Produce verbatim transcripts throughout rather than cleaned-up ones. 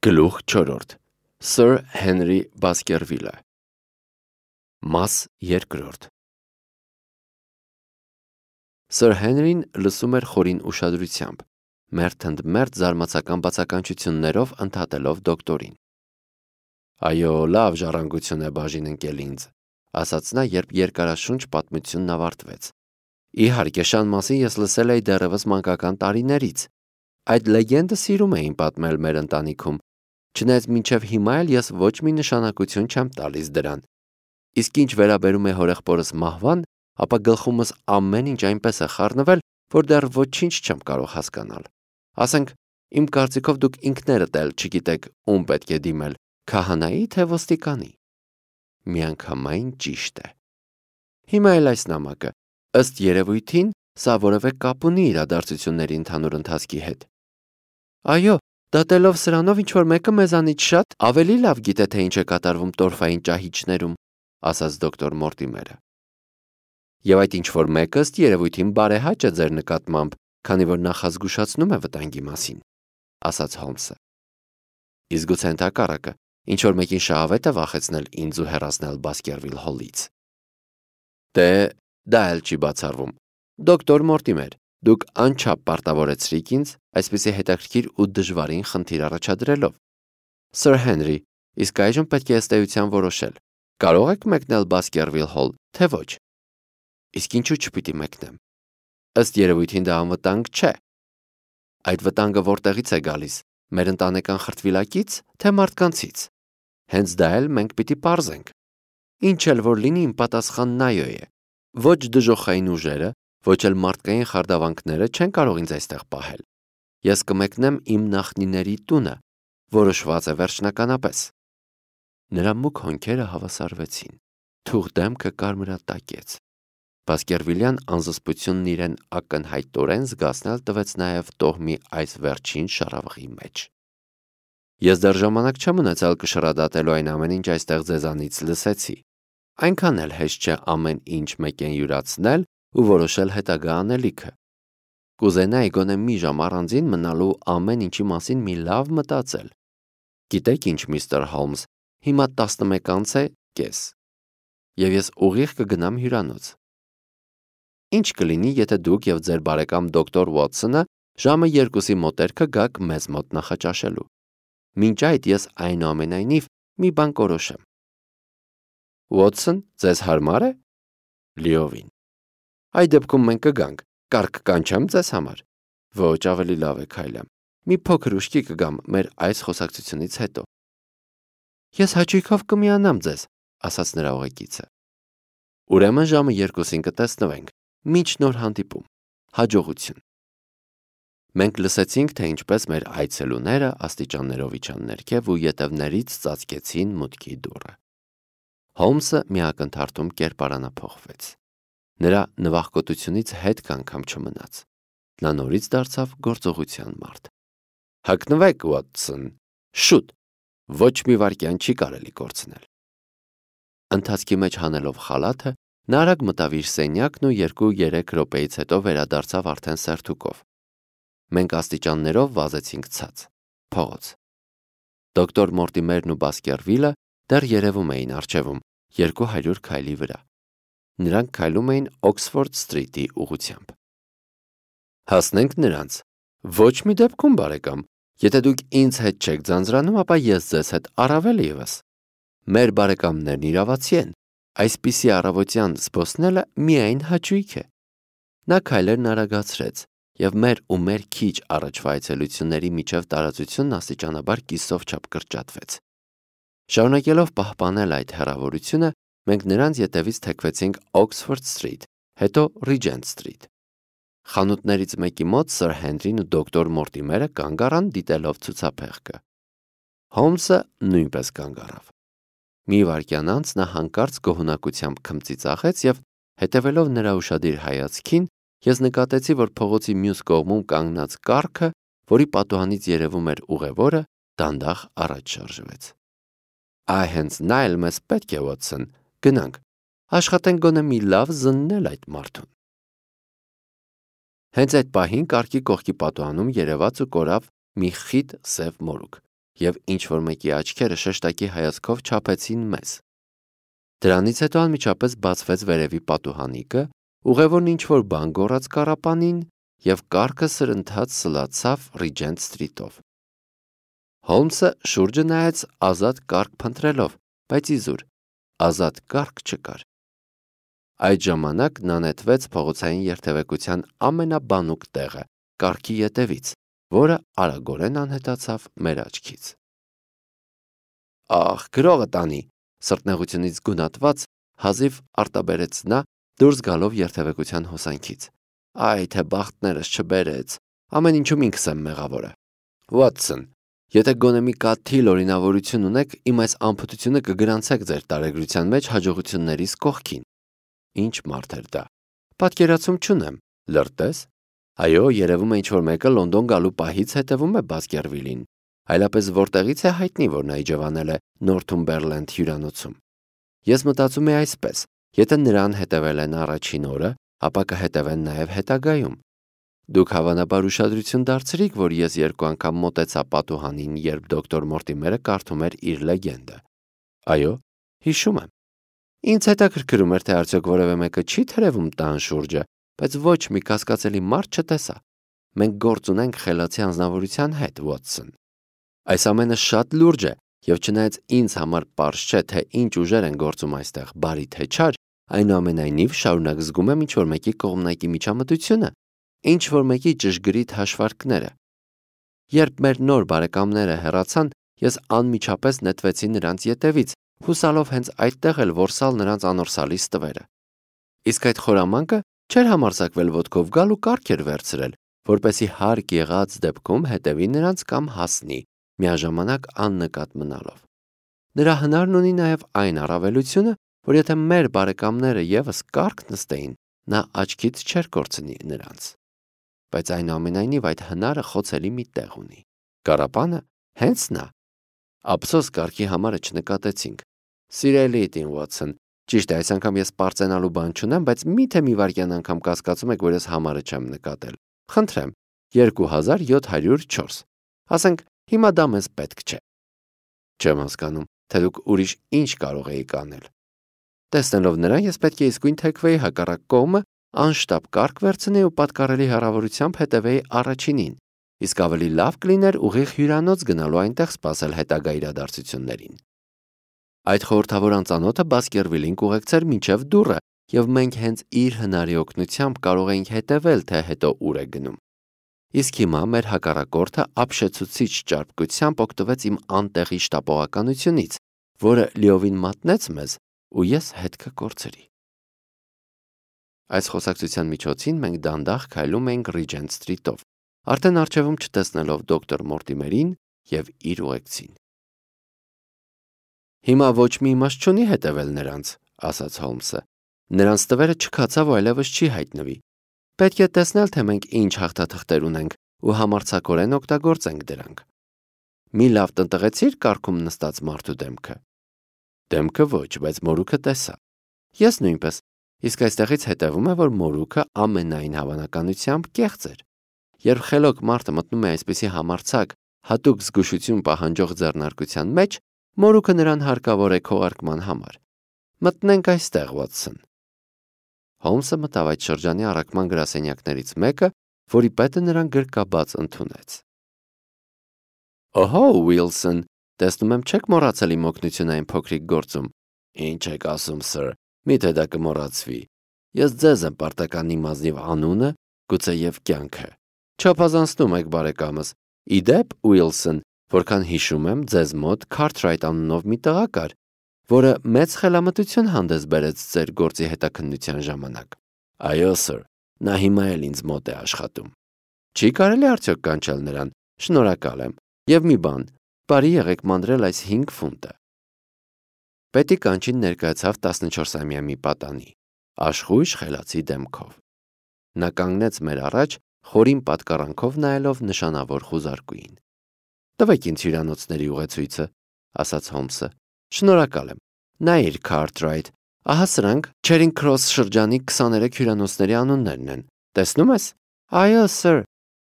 Գլուխ չորրորդ Սըր Հենրի Բասկերվիլը Մաս երկրորդ Սըր Հենրին լսում էր խորին ուշադրությամբ, մերթ ընդ մերթ զարմացական բացականչություններով ընդհատելով դոկտորին։ Այո, լավ ժառանգություն է բաժին ընկել ինձ, ասաց նա, երբ երկարաշունչ պատմությունն ավարտվեց։ Իհարկե, շան մասին ես լսել էի դեռևս մանկական տարիներից։ Այդ լեգենդը սիրում էին պատմել մեր ընտանիքում, չնայած մինչև հիմա էլ ես ոչ մի նշանակություն չեմ տալիս դրան։ Իսկ ինչ վերաբերում է հորեղբորս մահվան, ապա գլխումս ամեն ինչ այնպես է խառնվել, որ դեռ ոչինչ չեմ կարող հասկանալ։ Ասենք, իմ կարծիքով դուք ինքներդ էլ չգիտեք ում պետք է դիմել, քահանայի թե ոստիկանի։ Միանգամայն ճիշտ է։ Հիմա էլ այս նամակը, ըստ երևույթին, սա որևէ կապ ունի իրադարձությունների ընդհանուր ընթացքի հետ։ Այո, դատելով սրանով ինչ-որ մեկը մեզանից շատ ավելի լավ գիտե, թե ինչ է կատարվում տորֆային ճահիճներում, ասաց դոկտոր Մորտիմերը։ Եվ այդ ինչ-որ մեկը ըստ երևույթին բարեհաճ է ձեր նկատմամբ, քանի որ նախազգուշացնում է վտանգի մասին, ասաց Հոլմսը։ Իսկ գուցե ընդհակառակը, ինչ-որ մեկին շահավետ է վախեցնել ինձ ու հեռացնել Բասկերվիլ Հոլից։ Դե, դա էլ չի բացառվում։ Դոկտոր Մորտիմեր, դուք անչափ պարտավորեցրիք ինձ այսպիսի հետաքրքիր ու դժվարին խնդիր առաջադրելով։ Սըր Հենրի, իսկ այժմ պետք է ըստ էության որոշել, կարող եք մեկնել Բասկերվիլ Հոլ, թե ոչ։ Իսկ ինչու չպիտի մեկնեմ։ Ըստ երևույթին դա անվտանգ չէ։ Այդ վտանգը որտեղից է գալիս, մեր ընտանեկան խրտվիլակից, թե մարդկանցից։ Հենց դա էլ մենք պիտի պարզենք։ Ինչ էլ որ լինի, իմ պատասխանն այո է։ Ոչ դժոխային ուժերը, ոչ էլ մարդկային խարդավանքները չեն կարող ինձ այստեղ պահել։ Ես կմեկնեմ իմ նախնիների տունը, որոշված է վերջնականապես։ Նրա մուգ հոնքերը հավասարվեցին, թուղ դեմքը կարմրատակեց։ Բասկերվիլյան անզսպությունն իրեն ակնհայտորեն զգացնել տվեց նաև տոհմի այս վերջին շառավղի մեջ։ Ես դեռ ժամանակ չեմ ունեցել կշռադատելու այն ամեն ինչ այստեղ ձեզանից լսեցի։ Այնքան էլ հեշտ չէ ամեն ինչ մեկեն յուրացնել ու որոշել հետագա անելիքը։ Կուզենայի գոնե մի ժամ առանձին մնալու ամեն ինչի մասին մի լավ մտածել։ Գիտեք ինչ, միստր Հոլմս, հիմա տասնմեկ անց է կես, և ես ուղիղ կգնամ հյուրանոց։ Ինչ կլինի, եթե դուք և ձեր բարեկամ դոկտոր Ուոթսոնը ժամը երկուսի մոտերքը գաք մեզ մոտ նախաճաշելու։ Մինչ այդ ես այնուամենայնիվ մի բան կորոշեմ։ Ուոթսոն, ձեզ հարմար է։ Լիովին։ Այդ դեպքում մենք կգանք, կարգ կանչեմ ձեզ համար։ Ոչ, ավելի լավ է քայլեմ։ Մի փոքր ուշքի կգամ մեր այս խոսակցությունից հետո։ Ես հաճույքով կմիանամ ձեզ, ասաց նրա ուղեկիցը։ Ուրեմն ժամը երկուսին կտեսնվենք, մինչ նոր հանդիպում։ Հաջողություն։ Մենք լսեցինք, թե ինչպես մեր այցելուները աստիճաններով իջան ներքև ու ետևներից ծածկեցին մուտքի դուռը։ Հոլմսը մի ակնթարթում կերպարանափոխվեց։ Նրա նվախկոտությունից հետք անգամ չմնաց։ Նա նորից դարձավ գործողության մարդ։ Հագնվեք, Ուոթսոն, շուտ, ոչ մի վայրկյան չի կարելի կորցնել։ Ընթացքի մեջ հանելով խալաթը, նա արագ մտավ իր սենյակն ու երկու-երեք րոպեից հետո վերադարձավ արդեն սերթուկով։ Մենք աստիճաններով վազեցինք ցած, փողոց։ Դոկտոր Մորտիմերն ու Բասկերվիլը դեռ երևում էին առջևում, երկու հարյուր քայլի վրա։ Նրանք քայլում էին Օքսֆորդ Սթրիթի ուղղությամբ։ Հասնենք նրանց։ Ոչ մի դեպքում, բարեկամ, եթե դուք ինձ հետ չեք ձանձրանում, ապա ես ձեզ հետ առավել ևս։ Մեր բարեկամներն իրավացի են, այսպիսի առավոտյան զբոսնելը միայն հաճույք է։ Նա քայլերն արագացրեց, և մեր ու մեր քիչ առաջվա այցելությունների միջև տարածությունն աստիճանաբար կիսով չափ կրճատվեց։ Շարունակելով պահպանել այդ հեռավորությունը, մենք նրանց ետևից թեքվեցինք Օքսֆորդ Սթրիթ, հետո Ռիջենտ Սթրիթ։ Խանութներից մեկի մոտ Սըր Հենրին ու դոկտոր Մորտիմերը կանգ առան դիտելով ցուցափեղկը։ Հոլմսը նույնպես կանգ առավ։ Մի վայրկյան անց նա հանկարծ գոհունակությամբ քմծիծաղեց և, հետևելով նրա ուշադիր հայացքին, ես նկատեցի, որ փողոցի մյուս կողմում կանգնած կառքը, որի պատուհանից երևում էր ուղևորը, դանդաղ առաջ շարժվեց։ Այ հենց նա էլ մեզ պետք է, Ուոթսոն, գնանք, աշխատենք գոնե մի լավ զննել այդ մարդուն։ Հենց այդ պահին կառքի կողքի պատուհանում երևաց ու կորավ մի խիտ սև մորուք, և ինչ-որ մեկի աչքերը շեշտակի հայացքով չափեցին մեզ։ Դրանից հետո անմիջապես բացվեց վերևի պատուհանիկը, ուղևորն ինչ-որ բան գոռաց կառապանին և կառքը սրընթաց սլացավ Ռիջենտ Սթրիթով։ Հոլմսը շուրջը նայեց ազատ կառք փնտրելով, բայց իզուր, ազատ կառք չկար։ Այդ ժամանակ նա նետվեց փողոցային երթևեկության ամենաբանուկ տեղը, կառքի ետևից, որը արագորեն անհետացավ մեր աչքից։ Ախ, գրողը տանի, սրտնեղությունից գունատված, հազիվ արտաբերեց նա, դուրս գալով երթևեկության հոսանքից։ Այ թե բախտներս չբերեց, ամեն ինչում ինքս եմ մեղավորը։ Վատսոն, եթե գոնե մի կաթիլ օրինավորություն ունեք, իմ այս անփութությունը կգրանցեք ձեր տարեգրության մեջ հաջողություններիս կողքին։ Ինչ մարդ էր դա։ Պատկերացում չունեմ, լրտես։ Այո, երևում է ինչ-որ մեկը Լոնդոն գալու պահից հետևում է Բասկերվիլին, այլապես որտեղից է հայտնի, որ նա իջևանել է Նորթումբերլենդ հյուրանոցում։ Ես մտածում եի այսպես. եթե նրան հետևել են առաջին օրը, ապա կհետևեն նաև հետագայում։ Դուք հավանաբար ուշադրություն դարձրիք, որ ես երկու անգամ մոտեցա պատուհանին, երբ դոկտոր Մորտիմերը կարդում էր իր լեգենդը։ Այո, հիշում եմ։ Ինձ հետաքրքրում էր, թե արդյոք որևէ մեկը չի թրևում տան շուրջը, բայց ոչ մի կասկածելի մարդ չտեսա։ Մենք գործ ունենք խելացի անձնավորության հետ, Վոտսոն։ Այս ամենը շատ լուրջ է, և չնայած ինձ համար պարզ չէ, թե ինչ ուժեր են գործում այստեղ, բարի թե չար, այնուամենայնիվ շարունակ զգում եմ ինչ-որ մեկի կողմնակի միջամտությունը, ինչ-որ մեկի ճշգրիտ հաշվարկները։ Երբ մեր նոր բարեկամները հեռացան, ես անմիջապես նետվեցի նրանց ետևից, հուսալով հենց այդտեղ էլ որսալ նրանց անորսալի ստվերը։ Իսկ այդ խորամանկը չէր համարձակվել ոտքով գալ ու կառք էր վերցրել, որպեսզի հարկ եղած դեպքում հետևի նրանց կամ հասնի, միաժամանակ աննկատ մնալով։ Նրա հնարն ունի նաև այն առավելությունը, որ եթե մեր բարեկամները ևս կառք նստեին, նա աչքից չէր կորցնի նրանց։ Բայց այնուամենայնիվ այդ հնարը խոցելի մի տեղ ունի։ Կառապանը հենց նա։ Ափսոս կառքի համարը չնկատեցինք։ Սիրելի Տին Վոտսոն, ճիշտ է, այս անգամ ես պարծենալու բան չունեմ, բայց միթե մի վայրկյան անգամ կասկածում եք, որ ես համարը չեմ նկատել։ Խնդրեմ, երկու հազար յոթ հարյուր չորս։ Ասենք, հիմա դա մեզ պետք չէ։ Չեմ հասկանում, թե դուք ուրիշ ինչ կարող էիք անել։ Տեսնելով նրան, ես պետք է իսկույն թեքվեի հակառակ կողմը, անշտապ կառք վերցնեի ու պատկառելի հեռավորությամբ հետևեի առաջինին, իսկ ավելի լավ կլիներ ուղիղ հյուրանոց գնալու այնտեղ սպասել հետագա իրադարձություններին։ Այդ խորհրդավոր անծանոթը Բասկերվիլին կուղեկցեր մինչև դուռը, և մենք հենց իր հնարի օգնությամբ կարող էինք հետևել, թե հետո ուր է գնում։ Իսկ հիմա մեր հակառակորդը ապշեցուցիչ ճարպկությամբ օգտվեց իմ անտեղի շտապողականությունից, որը լիովին մատնեց մեզ, ու ես հետքը կորցրի։ Այս խոսակցության միջոցին մենք դանդաղ քայլում էինք Ռիջենտ Սթրիթով, արդեն առջևում չտեսնելով դոկտոր Մորտիմերին և իր ուղեկցին։ Հիմա ոչ մի իմաստ չունի հետևել նրանց, ասաց Հոլմսը։ Նրանց տվերը չքացավ ու այլևս չի հայտնվի։ Պետք է տեսնել, թե մենք ինչ հաղթաթղթեր ունենք ու համարձակորեն օգտագործենք դրանք։ Մի լավ տնտղեցի՞ր կառքում նստած մարդու դեմքը։ Դեմքը ոչ, բայց մորուքը տեսա։ Ես նույնպես, իսկ այստեղից հետևում է, որ մորուքը ամենայն հավանականությամբ կեղծ էր։ Երբ խելոք մարդը մտնում է այսպիսի համարձակ, հատուկ զգուշություն պահանջող ձեռնարկության մեջ, մորուքը նրան հարկավոր է քողարկման համար։ Մտնենք այստեղ, Վոտսոն։ Հոլմսը մտավ այդ շրջանի առաքման գրասենյակներից մեկը, որի պետը նրան գրկաբաց ընդունեց։ Օհո, Ուիլսոն, տեսնում եմ չեք մոռացել իմ օգնությունը այն փոքրիկ գործում։ Ինչ եք ասում, սըր, միթե դա կմոռացվի։ Ես ձեզ եմ պարտական իմ ազնիվ անունը, գուցե և կյանքը։ Չափազանցնում եք, բարեկամս։ Ի դեպ, Ուիլսոն, որքան հիշում եմ, ձեզ մոտ Քարթրայթ անունով մի տղա կար, որը մեծ խելամտություն հանդես բերեց ձեր գործի հետաքննության ժամանակ։ Այո, սըր, նա հիմա էլ ինձ մոտ է աշխատում։ Չի կարելի արդյոք կանչել նրան։ Շնորհակալ եմ։ Եվ մի բան, բարի եղեք մանրել այս հինգ ֆունտը։ Պետի կանչին ներկայացավ տասնչորսամյա մի պատանի, աշխույժ խելացի դեմքով։ Նա կանգնեց մեր առաջ, խորին պատկառանքով նայելով նշանավոր խուզարկուին։ Տվեք ինձ հյուրանոցների ուղեցույցը, ասաց Հոլմսը։ Շնորհակալ եմ։ Նայիր, Քարթրայթ, ահա սրանք Չերինգ Քրոս շրջանի քսաներեք հյուրանոցների անուններն են։ Տեսնում ես։ Այո, սըր։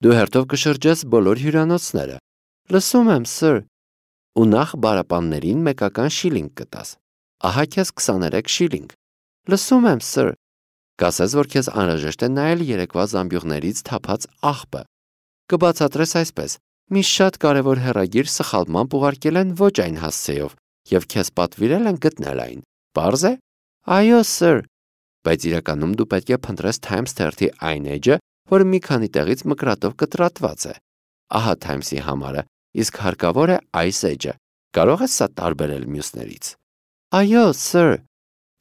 Դու հերթով կշրջես բոլոր հյուրանոցները։ Լսում եմ, սըր։ ու նախ բարապաններին մեկական շիլինգ կտաս։ Ահա քեզ քսաներեք շիլինգ։ Լսում եմ, սըր։ Կասես, որ քեզ անհրաժեշտ է նայել երեկվա զամբյուղներից թափած աղբը։ Կբացատրես այսպես. մի շատ կարևոր հեռագիր սխալմամբ ուղարկել են ոչ այն հասցեով և քեզ պատվիրել են գտնել այն։ Պարզ է։ Այո, սըր։ Բայց իրականում դու պետք է փնտրես Times թերթի այն էջը, որը մի քանի տեղից մկրատով կտրատված է։ Ահա Times-ի համարը, իսկ հարկավոր է այս էջը։ Կարող ես սա տարբերել մյուսներից։ Այո, սըր։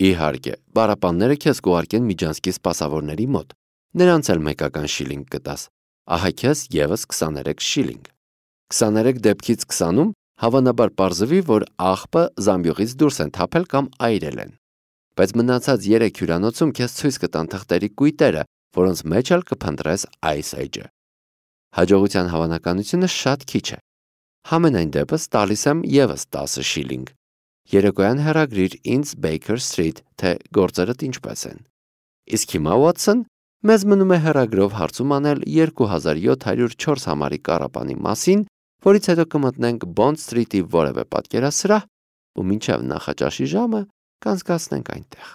Իհարկե, բարապանները քեզ կուղարկեն Միջանցքի սպասավորների մոտ։ Նրանց էլ մեկական շիլինգ կտաս։ Ահա քեզ ևս քսաներեք շիլինգ։ քսաներեք դեպքից քսանում հավանաբար պարզվի, որ աղբը զամբյուղից դուրս են թափել կամ այրել են։ Բայց մնացած երեք հյուրանոցում քեզ ցույց կտան թղթերի կույտերը, որոնց մեջ էլ կփնտրես այս էջը։ Հաջողության հավանականությունը շատ քիչ է։ Համենայն դեպս տալիս եմ ևս տասը շիլինգ։ Երեկոյան հեռագրիր ինձ Baker Street, թե գործերդ ինչպես են։ Իսկ հիմա, Watson, մեզ մնում է հեռագրով հարցում անել երկու հազար յոթ հարյուր չորս համարի կառապանի մասին, որից հետո կմտնենք Bond Street-ի որևէ պատկերասրահ ու մինչև նախաճաշի ժամը կանցկացնենք այնտեղ։